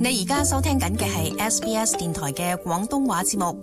你而家收聽緊嘅係 SBS 電台嘅廣東話節目。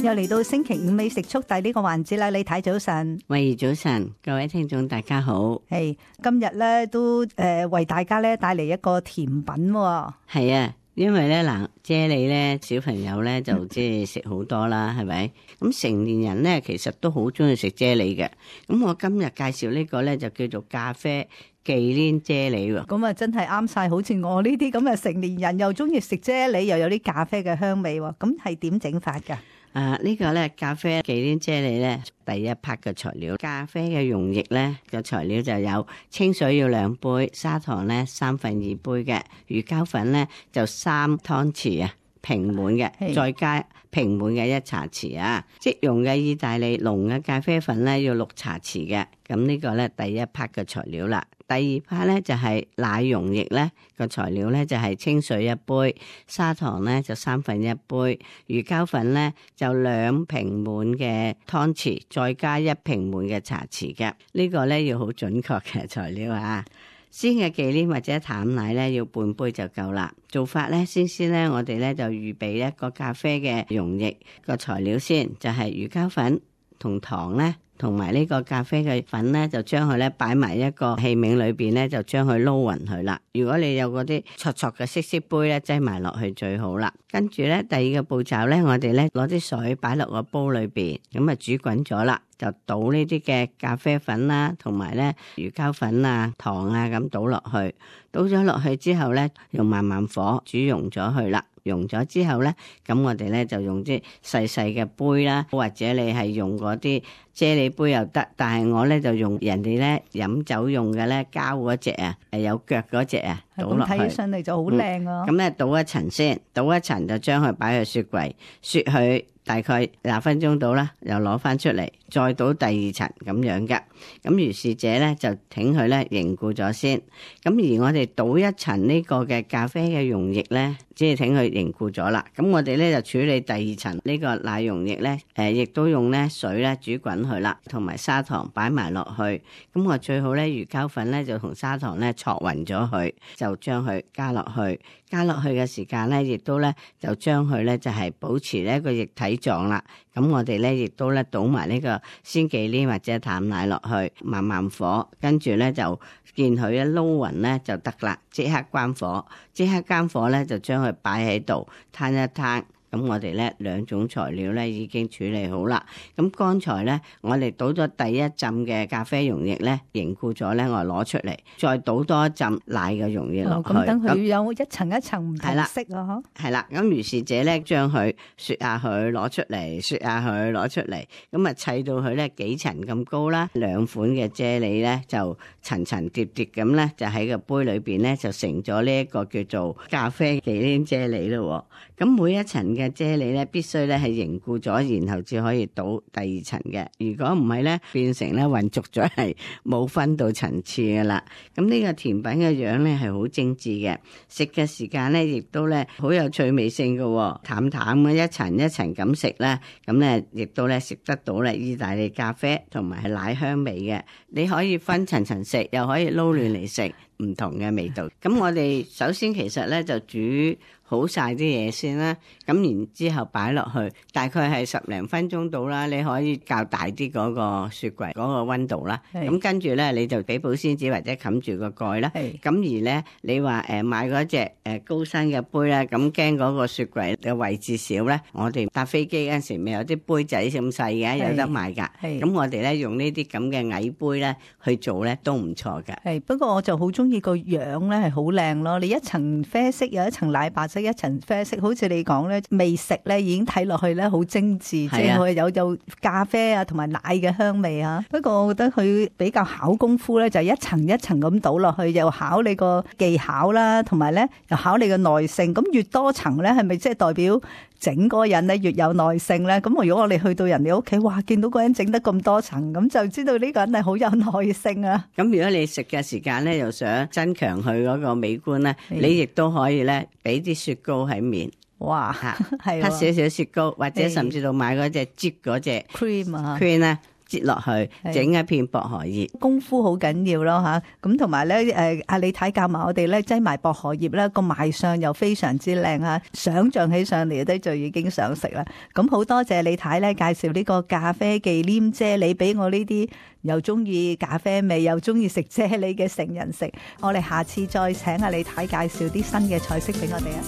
又嚟到星期五美食速遞呢個環節啦，李太早晨。喂，早晨，各位聽眾大家好。係今日咧都為大家咧帶嚟一個甜品喎。係啊，因為咧嗱，啫喱咧小朋友咧就即係食好多啦，係咪？咁成年人咧其實都好中意食啫喱嘅。咁我今日介紹呢個咧就叫做咖啡忌廉啫喱喎。咁啊真係啱晒，好似我呢啲咁嘅成年人又中意食啫喱，又有啲咖啡嘅香味喎。咁係點整法㗎？呢個咧咖啡忌廉啫喱咧，第一 part 嘅材料，咖啡嘅溶液咧嘅材料就有清水要2杯，砂糖咧2/3杯嘅，魚膠粉咧就3湯匙啊，平滿嘅，再加平滿嘅1茶匙啊，即溶嘅意大利濃嘅咖啡粉咧要6茶匙嘅。咁呢個咧第一 part 嘅材料啦。第二 part 咧就係奶溶液咧個材料咧就係清水1杯，砂糖咧就1/3杯，魚膠粉咧就2平滿嘅湯匙，再加1平滿嘅茶匙嘅。呢個咧要好準確嘅材料啊！鮮嘅忌廉或者淡奶咧要半杯就夠啦。做法咧先咧我哋咧就預備一個咖啡嘅溶液個材料先，就係魚膠粉同糖咧。同埋呢個咖啡嘅粉咧，就將佢咧擺埋一個器皿裏邊咧，就將佢撈勻佢啦。如果你有嗰啲戳戳嘅色色杯咧，擠埋落去最好啦。跟住咧，第二個步驟咧，我哋咧攞啲水擺落個煲裏邊，咁啊煮滾咗啦，就倒呢啲嘅咖啡粉啦，同埋咧魚膠粉啊、糖啊咁倒落去。倒咗落去之後咧，用慢慢火煮溶咗佢啦。溶咗之後咧，咁我哋咧就用啲細細嘅杯啦，或者你係用嗰啲啫喱杯又得，但係我咧就用人哋咧飲酒用嘅咧膠嗰隻啊，有腳嗰隻啊，倒落去。睇起上嚟就好靚啊！咁咧倒一層先，倒一層就將佢擺去雪櫃，雪佢大概20分鐘到啦，又攞翻出嚟，再倒第二層咁樣嘅。咁如是者咧就挺佢咧凝固咗先。咁而我哋倒一層呢個嘅咖啡嘅溶液咧，即係挺佢凝固咗啦。咁我哋咧就處理第二層呢個奶溶液咧，亦都用咧水咧煮滾佢啦，同埋砂糖擺埋落去。咁我最好咧魚膠粉咧就同砂糖咧搓勻咗佢，就將佢加落去。加落去嘅時間咧，亦都咧就將佢咧就係保持呢個液體狀啦。咁我哋咧亦都咧倒埋呢個鮮忌廉或者淡奶落去，慢慢火，跟住咧就見佢一撈勻咧就得啦。即刻關火，即刻關火咧就將佢擺喺度攤一攤。咁我哋咧兩種材料咧已經處理好啦。咁剛才咧我哋倒咗第一浸嘅咖啡溶液咧凝固咗咧，我攞出嚟，再倒多一浸奶嘅溶液落去。咁等佢有一層一層唔同色啊！係啦，咁如是者咧將佢雪下佢攞出嚟，雪下佢攞出嚟，咁啊砌到佢咧幾層咁高啦。兩款嘅啫喱咧就層層疊疊咁咧，就喺個杯裏邊咧就成咗呢一個叫做咖啡忌廉啫喱咯。咁每一層嘅啫喱咧必須咧係凝固咗，然後至可以倒第二層嘅。如果唔係咧，變成咧混濁咗，係冇分到層次噶啦。咁呢個甜品嘅樣咧係好精緻嘅，食嘅時間咧亦都咧好有趣味性嘅，淡淡嘅一層一層咁食咧，咁咧亦都咧食得到咧意大利咖啡同埋係奶香味嘅。你可以分層層食，又可以撈亂嚟食，唔同嘅味道。咁我哋首先其實咧就煮好晒啲嘢先啦，咁然之後擺落去，大概係10零分鐘到啦。你可以較大啲嗰個雪櫃嗰個溫度啦。咁跟住咧，你就俾保鮮紙或者冚住個蓋啦。咁而咧，你話買嗰隻高身嘅杯咧，咁驚嗰個雪櫃嘅位置少咧，我哋搭飛機嗰陣時咪有啲杯仔咁細嘅，有得賣㗎。咁我哋咧用呢啲咁嘅矮杯咧去做咧都唔錯㗎。係，不過我就好中意個樣咧係好靚咯。你一層啡色有一層奶白色，一層啡色，好似你講咧，未食咧已經睇落去咧好精緻，即係佢有咖啡啊同埋奶嘅香味啊。不過我覺得佢比較考功夫咧，就一層一層咁倒落去，又考你個技巧啦，同埋咧又考你嘅耐性。咁越多層咧，係咪即係代表整嗰個人咧越有耐性咧？咁如果我哋去到人哋屋企，哇，見到嗰人整得咁多層，咁就知道呢個人係好有耐性啊。咁如果你食嘅時間咧，又想增強佢嗰個美觀咧，你亦都可以咧俾啲雪糕喺面。哇，係黑少少雪糕，或者甚至到買嗰隻擠嗰隻 cream 啊 cream 咧，擠落去，整一片薄荷葉，功夫好緊要咯吓。咁同埋咧，阿李太教埋我哋咧，擠埋薄荷葉咧，個賣相又非常之靚啊！想象起上嚟都就已經想食啦。咁好多謝李太咧介紹呢個咖啡忌廉啫喱俾我呢啲又中意咖啡味又中意食啫喱嘅成人食。我哋下次再請阿李太介紹啲新嘅菜式俾我哋啊！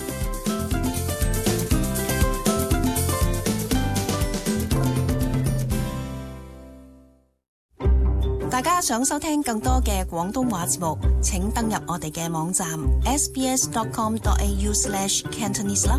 大家想收聽更多嘅廣東話節目，請登入我哋嘅網站 sbs.com.au/cantonese 啦。